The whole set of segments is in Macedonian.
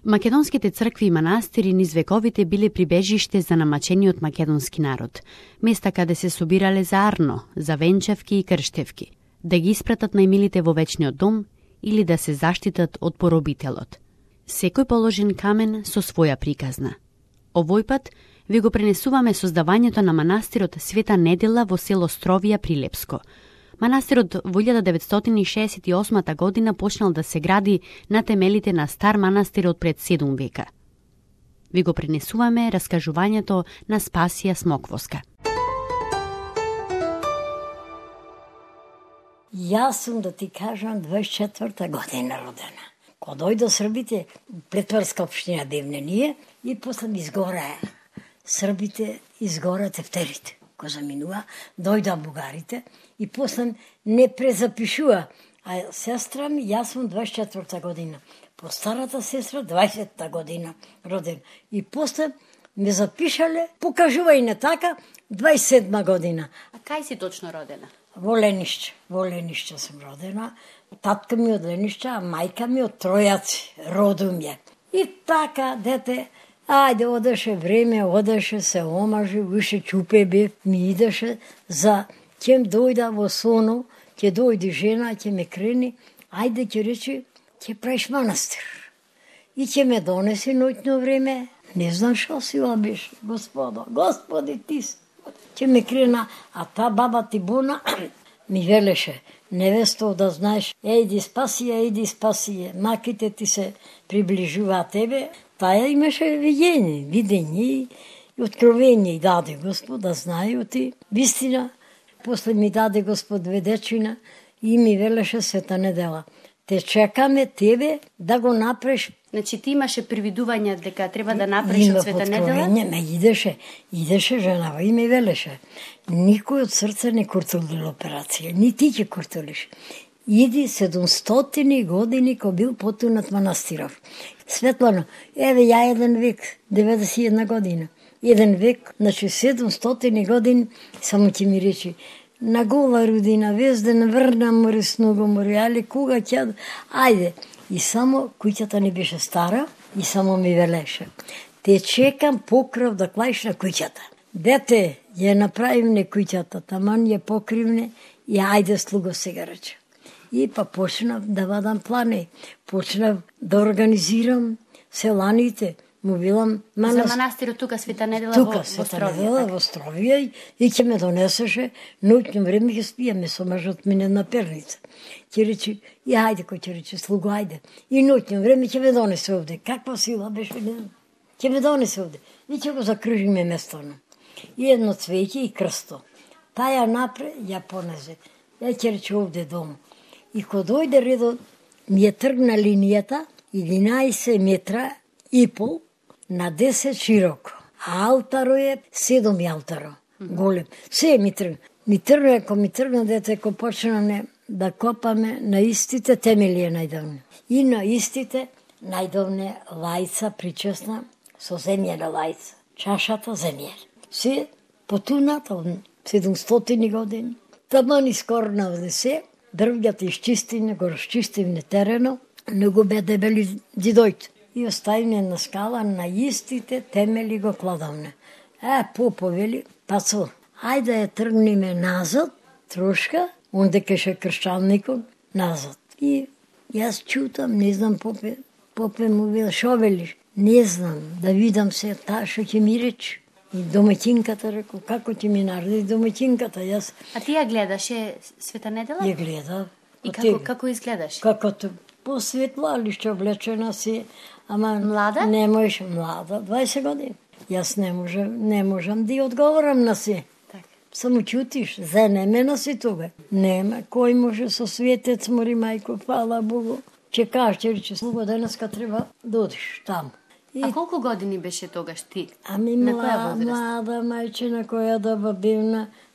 Македонските цркви и манастири низ вековите биле прибежиште за намачениот македонски народ, места каде се собирале за арно, за венчавки и крштевки, да ги испратат најмилите во вечниот дом или да се заштитат од поробителот. Секој положен камен со своја приказна. Овој пат ви го пренесуваме создавањето на манастирот Света Недела во село Стровија при Лепско. Манастирот во 1968 година почнал да се гради на темелите на стар манастир од пред 7 века. Ви го пренесуваме раскажувањето на Спасија Смоквоска. Јас сум, да ти кажам, 24-та година родена. Кога дојдо Србите, Претварска општина бевне ние, и после ми изгораа Србите, изгора тефтерите. Кога заминува, дојда бугарите и после не презапишува. А сестра ми, јас сум 24-та година. По старата сестра 20-та година родена. И после ме запишале, покажувај не така, 27 година. А кај си точно родена? Во Ленишче сум родена. Татка ми од Ленишче, а мајка ми од Тројаци, родум ја. И така, дете, ајде, одеше време, одеше, се омажи, више чупе бев, ми идеше за ќе дојда во Соно, ќе дојде жена, ќе ме крени, ајде, ќе рече, ќе правиш манастир. И ќе ме донесе ноќно време, не знам шо сила беше, Господи ти си. Ќе ме крена, а та баба Тибуна ми велеше, невесто, да знаеш, ејди спасија, маките ти се приближува тебе. Таја имаше видење и откровение и даде Господ, да знају вистина. После ми даде Господ две дечина и ми велеше Света Недела. Те чекаме тебе да го направиш. Значи ти имаше привидување дека треба да направиш од Света Недела? Ме идеше женава и ми велеше. Никој од срце не куртули операција, ни ти ќе куртулиш. Иди 700 години ко бил потунат манастиров. Светлано, еве ја еден век, 91 година. Еден век, значи 700 години, само ќе ми речи, на гола родина, везден врна море, сного море, али кога ќе... Ајде, и само куќата не беше стара, и само ми велеше. Те чекам покрив да клаиш на куќата. Дете, ја направивне куќата, таман ја покривне, и ајде слуго сега рече. И па почнав да вадам плани, почнав да организирам селаните, му билам За манастирот тука Света Недела во Стровија. Во Стровија и ќе ме донесеше, ноќно време ќе спиеме со мажот мине на перница. Ќе рече, и ајде, кој ќе рече, слуго, ајде. И ноќно време ќе ме донесе овде. Каква сила беше, ќе ме донесе овде. И ќе го закружиме местono. И едно цвеќе и крсто. Таја напре, ја понезе. Ја ќе рече овде дом. И кога дојде редот, ми е тргна линијата 11 метра и пол на 10 широко. А алтаро е 7 алтаро. Голем. Се ми тргна. Ако ми тргна дете, ако почнаме да копаме на истите темели е најдавне. И на истите најдавне лајца причесна со земјена лајца. Чашата земја. Се потуната од 700 години. Таман искорна овде се. Дрвјата изчистивне, го расчистивне терено, не го бе дебели дидојте. И оставивне на скала, на истите темели го кладовне. Поповели, пацо, ајде ја тргниме назад, трошка, онде кеше кршчанникот, назад. И јас чутам, не знам, попе му вел, шо велиш? Не знам, да видам се, та шо ќе ми речи. И домаќинката реко, како ќе ми нареди домаќинката, јас... А ти ја гледаше Света Недела? Ја гледав. И како изгледаш? Како посветла, лишче облечена си, ама... Млада? Не можеш, млада, 20 години. Јас не можам да ја одговорам на си. Само чутиш, занемена си тога. Нема, кој може со светец мори, мајко, фала Богу. Че кажеш, че слуго денеска треба да одиш таму. А колку години беше тогаш ти? Ами млада мајчина која да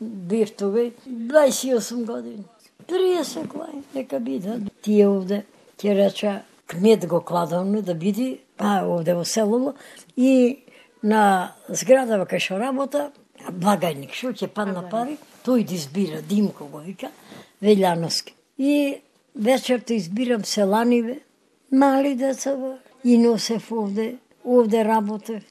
бив тога, 28 години. 30 клај, нека биде. Тие овде, ќе реча, кмет го кладовне да биде, овде во селово, и на зградава кај шо работа, благајник, шо ќе падна пари, тој да избира, Димко го вика, Велјановски. И вечерта избирам селаниве, мали деца, и носев овде работев.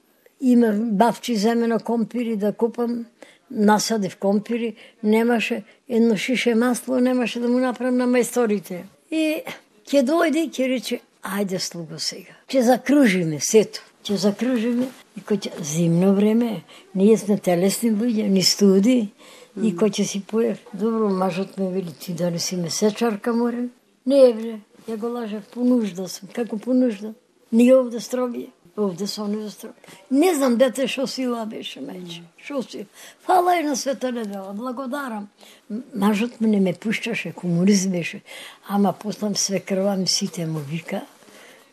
Има бавчи земе на компири да купам, насадив компири, немаше едно шише масло, немаше да му направам на мајсторите. И ќе дојде и ќе рече, ајде слуго сега, ќе закружиме сето, ќе закружиме и кој ќе зимно време, ние сме телесни луѓе, ни студи, и кој ќе си поев. Добро, мажот ме вели, ти да не си месечарка море? Не бре, ја го лажав, по нужда сум, како по нужда. Ние овде стробие, овде со не строби. Не знам дете шо сила беше, мајче, шо сила. Фала и на света недела, благодарам. Мажот ме не ме пушташе, комунист беше, ама послам свекрва ми сите му вика,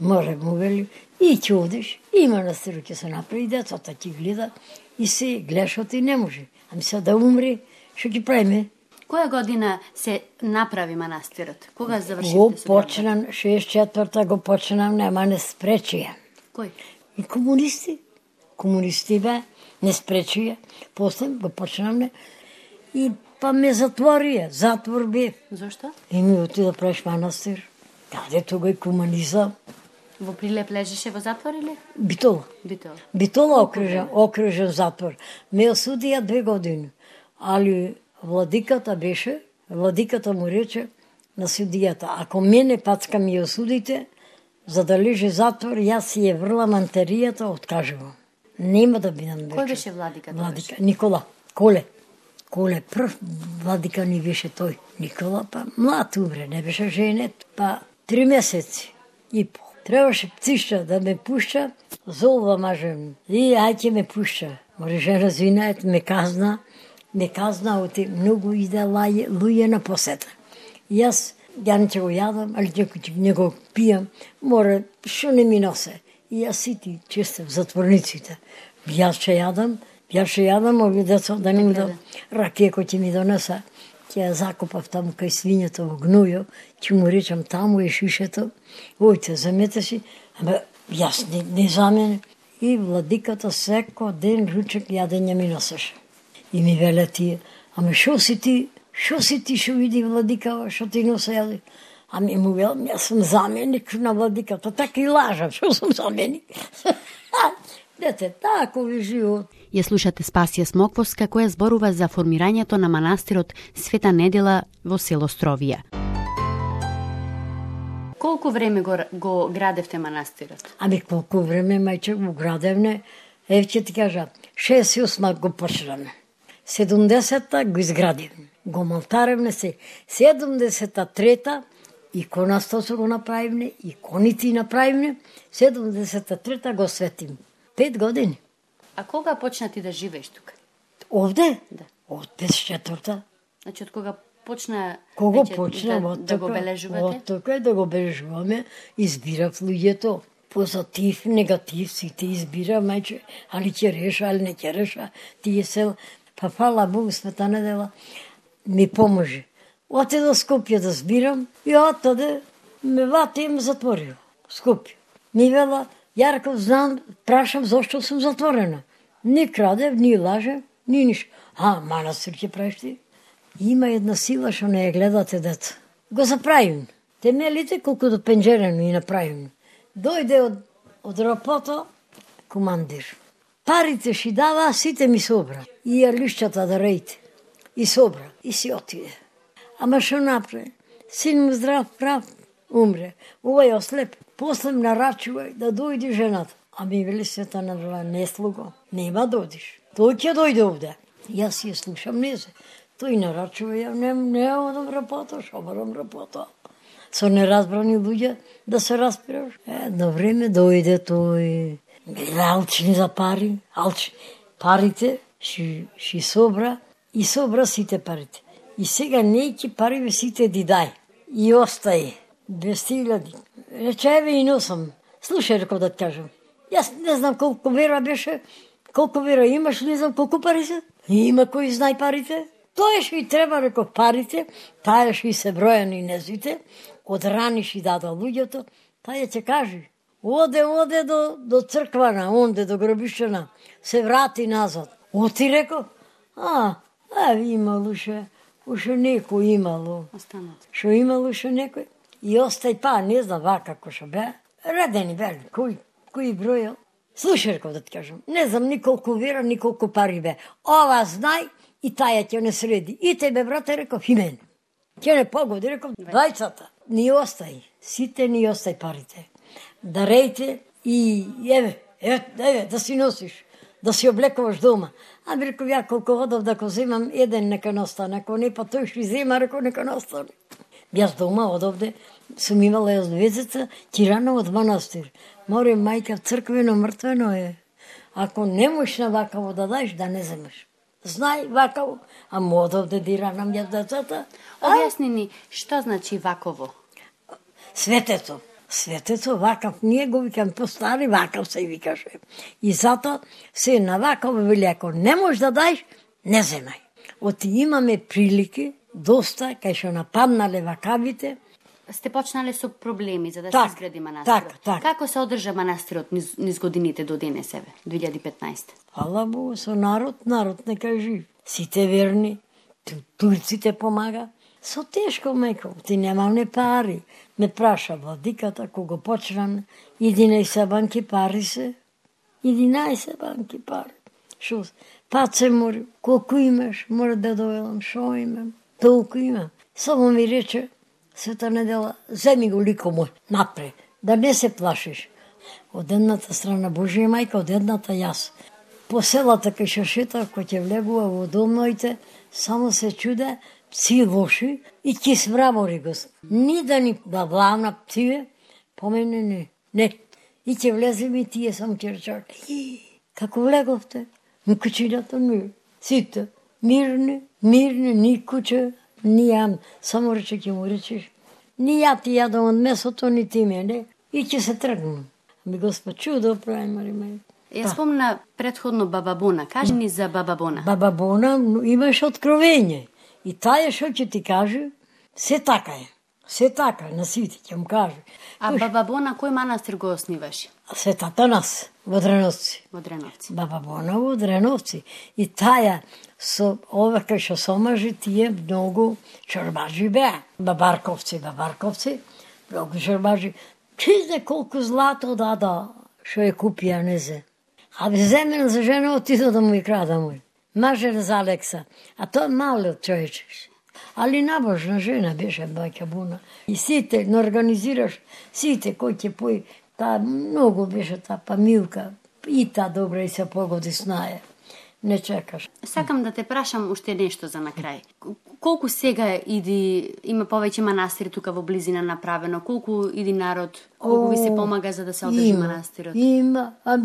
може му вели, и ќе одиш, и манастир ќе се направи, децата ќе гледа, и се гледаш и не може. Ами се да умри, што ќе правиме? Која година се направи манастирот? Кога завршивте? Го почнам, 64-та го почнам, нема не спречија. Кој? И комунисти. Комунисти бе, не спречија. После го почнам не. И па ме затворија, затвор бе. Зошто? И ми оти да правиш манастир. Каде тога и комунизам? Во Прилеп лежеше во затвор или? Битола. Битола. Битола окружен затвор. Ме осудија 2 години. Али владиката беше, владиката му рече на судијата, ако мене пацка ми осудите, за да лежи затвор, јас си ја врлам антеријата, откажувам. Нема да бидам вече. Кој беше владиката? Владика, Никола, Коле. Коле, прв владика ни беше тој. Никола, па млад умре, не беше женет. Па 3 месеци и пол. Требаше птишта да ме пушта, золва мажем. И ајќе ме пушта. Може жена звинајат, ме казна, оти многу иде луѓе на посета. Јас не ќе го јадам, али не го пијам, мора, шо не ми носе. И јас сити често в затворниците. Јас ќе јадам, овие деца да не ми да ракија кој ќе ми донеса. Ќе ја закопав таму кај свињето во гнојо, ќе му речам таму е шишето, ојте, замете си, ама јас не за мене. И владиката секој ден ручек јадење ми носеше. И ми веле тие, ама шо си ти шо види владика, шо ти носа јаде? Ами му велам, јас сум заменик на владиката, така и лажам, шо сум заменик. Дете, тако ви живот. Ја слушате Спасија Смоквовска, која зборува за формирањето на манастирот Света Недела во село Стровија. Колку време го градевте манастирот? Ами колку време, мајче, го градевне, ќе ти кажа, 68 го почнаме. 70-та го изградивме. Го монтаревне се. 73-та иконата се го направивне, иконите направивне. 73-та го светим. 5 години. А кога почна ти да живееш тука? Овде? Да. Од 54-та. Значи, од кога почна Кога почна да го бележувате? Од тока да го бележуваме, избирав луѓето. Позитив, негатив, сите избира, мајче, али ќе реша, али не ќе реша. Тие се, па фала Богу, Света Недела ми поможи. Оте до Скопје да збирам и отаде ме вати и ме затворил. Скопје. Ми вела, Јарков, знам, прашам зашто сум затворена. Ни крадев, ни лажев, ни ништо. Манастир ќе правиш ти? Има една сила што не ја гледате деца. Го заправим. Темелите колку до пенџерено и направим. Дојде од работа командир. Парите ши дава, сите ми собра. И ја лишчата да рејте. И собра. И си отиде. Ама шо направи? Син му здрав, прав, умре. Овој ослеп. После нарачува да дојде жената. А ми вели Света Недела, не слуго. Нема да одиш. Тој ќе дојде овде. Јас ја слушам, не се. Тој нарачува, ја не одам работа, шо барам работа. Со неразбрани луѓе да се распираш. Едно време дојде тој, алчни за пари, парите ши собра и собра сите парите. И сега нејки пари сите ди дај. И остаje 200.000. Рече, еве и носам. Слушај, реков да ти кажам. Јас не знам колку вера беше, колку вера имаш, не знам колку пари се. Има кој знај парите. Тоа ши треба, реков, парите, таа ши се бројани незвите, од рани ши дада луѓето, таа ќе кажи. Оде до црквана, онде до гробишчана, се врати назад. Оти реков, имало ше некој имало. Останат. Шо имало ше некој. И остај не знам вака како шо бе, Редени, вели, кој бројал? Слушай, реков да ти кажам, не знам николку вера, николку пари бе. Ова знај и таја ќе не среди. И тебе, брате, реков, и мене. Ќе не погоди, реков, двајцата. Ни остај, сите ни остај парите. Дарејте и еве, да си носиш, да си облекуваш дома. А би реков, ја колку одов да го земам, еден нека настане, ако не, па тој што зема, реков, нека настане. Јас дома одовде сум имала јас двезеца, тирана од манастир. Море, мајка, црквено, мртвено е. Ако не можеш на вакаво да даеш, да не земеш. Знај вакаво, а одовде диранам јас децата. Објасни ни, што значи ваково? Светето. Светето, вакав, ние го викам постари, вакав се и викаше. И затоа се на вакаво вели, ако не можеш да даеш, не земај. Оти имаме прилики, доста, кај што нападнале вакавите. Сте почнале со проблеми за да се изгради манастирот. Так. Како се одржа манастирот низ годините до денесеве, 2015? Фала Богу, со народ нека е жив. Сите верни, турците помага. Со тешко, мајко, ти немам не пари. Ме праша владиката, кога почнам, 11 банки пари се. 11 банки пари. Шо? Пат се мори, колку имаш, мора да дојдам, шо имам, толку имам. Само ми рече, Света недела, земи го лико мој, напред, да не се плашиш. Од едната страна Божија мајка, од едната јас. По селата кај шашета, кој ќе влегува во домоите, само се чуде, пси лоши и ќе смрамори го. Ни да ни да влавна псиве, по мене не. И ќе влезем и тие само ќе речак. Како влеговте? На кучината не. Сите, мирни, ни куче, ни јам, само рече ќе му речеш. Ни ја ти јадам од месото, ни ти мене. И ќе се тргнам. Ами Господ чудо прави, Мари мај. Ја спомна предходно Баба Бона. Кажи ни за Баба Бона. Баба Бона имаш откровење. И таја што ќе ти каже, се така е. Се така е, на сите ќе му каже. А Баба Бона, кој манастир го основаше? Светата нас, во Дреновци. Во Дреновци. Баба Бона во Дреновци. И таја, со ова кај што сомажи, тие многу чорбажи беа. Бабарковци, многу чорбажи. Чизне колку злато дада, што е купија, не зе. А бе земен за жена отидо да му и крада му. Мажер за Алекса. А тоа малиот човечеш. Али набожна жена беше баќа Буна. И сите, не организираш, сите кој ќе пои, таа многу беше таа Памилка. И таа добра и се погоди с наја. Не чекаш. Сакам да те прашам уште нешто за на крај. Колку сега има повеќе манастири тука во близина направено? Колку народ, колку ви се помага за да се одржи манастирот? Има, а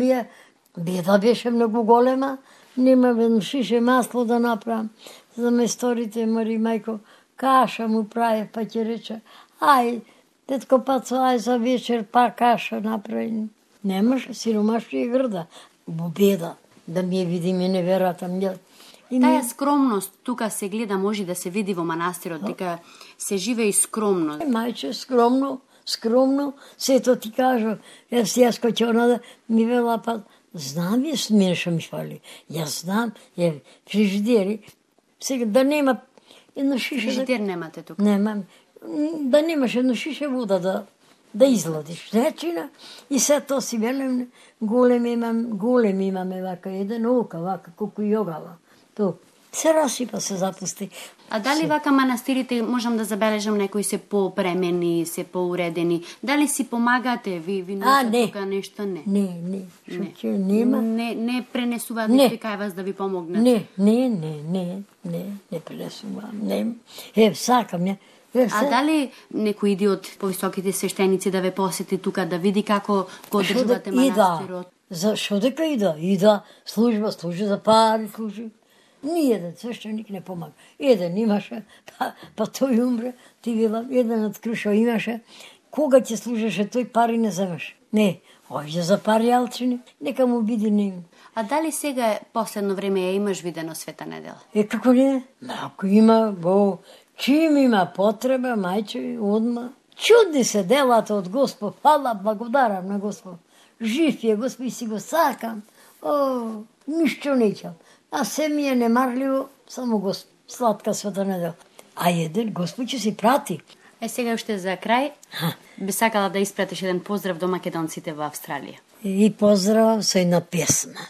беда беше многу голема. Нема ведно шише масло да направам. За месторите, Мари мајко, каша му прави, па ќе рече, ај, детко Пацо, ај за вечер, па каша направи. Немаше, сиромашни и грда. Во беда, да ми ја види ми неверата. Таја скромност тука се гледа, може да се види во манастирот, дека се живее и скромно. Мајче, скромно, сето ти кажа, јас кој ќе онада, ми вела, па, знам јас мене што ми фали. Јас знам, фрижидери, сега да нема едно шише... Фрижидер немате тука? Немам. Да немаш едно шише вода да изладиш. Речина, и се то си велем, голем имаме вака, еден ока, вака, колку и огава. То се расипа, се запусти. А дали вака манастирите, можам да забележам, некои се попремени, се поуредени? Дали си помагате? Ви носат тука нешто? Не. Шо нема? Не пренесуваат некој кај вас да ви помогнат? Не пренесувам. Не. Сакам ја. А дали некој иди од повисоките свештеници да ве посети тука, да види како го одржувате манастирот? Зашо дека ида, служи за пари, служи. Ниједен свештеник не помага. Еден имаше, па тој умре, ти вела, еден од Крушо имаше, кога ќе служеше тој пари не земеш. Не, ојде за пари алчини, нека му биде ним. А дали сега последно време ја имаш видено Света недела? Како не? Ако има, чим има потреба, мајче, одма. Чудни се делата од Господ, фала, благодарам на Господ. Жив е Господ и си го сакам. Ништо неќам. А се ми е немарливо, само Господ, сладка Света недела. А еден Господ ќе си прати. Сега уште за крај, Би сакала да испратиш еден поздрав до македонците во Австралија. И поздрав со една песна.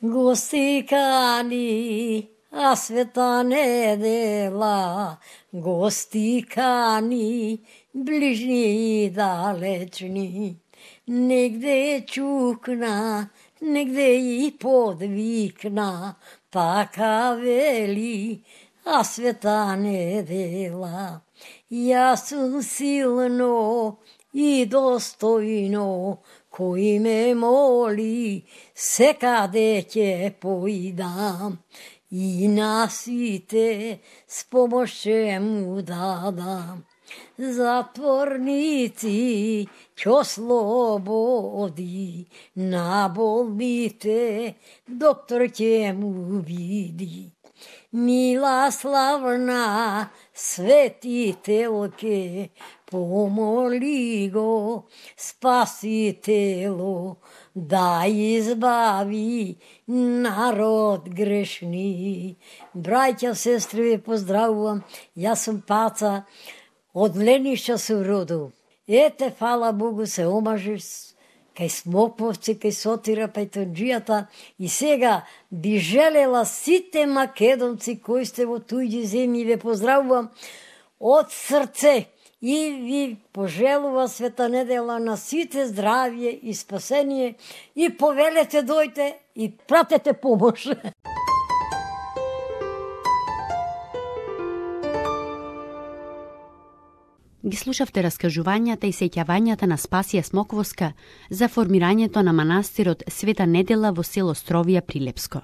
Гости кани, а света недела, гости кани, ближни и далечни. Негде чукна, негде и подвикна, така вели, а света недела. Јас сум силно и достојно, кој ме моли, секаде ќе поидам. И на сите с помош ќе му дадам. Затворници ќе ослободи, на болните доктор ќе му види. Мила славна светителке, помоли го Спаситело да избави народ грешни. Браќа, сестри, ве поздравувам. Јас сум Паца, од Ленишча се родил. Ете, фала Богу, се омажиш кај Смоковци, кај Сотира, Пајтонџијата. И сега би желела сите македонци кои сте во туѓи земји, ве поздравувам од срце и ви пожелува Света недела на сите здравје и спасение и повелете дојте и пратете помош. Ги слушавте раскажувањата и сеќавањата на Спасија Смоковска за формирањето на манастирот Света недела во село Стровија при Лепско.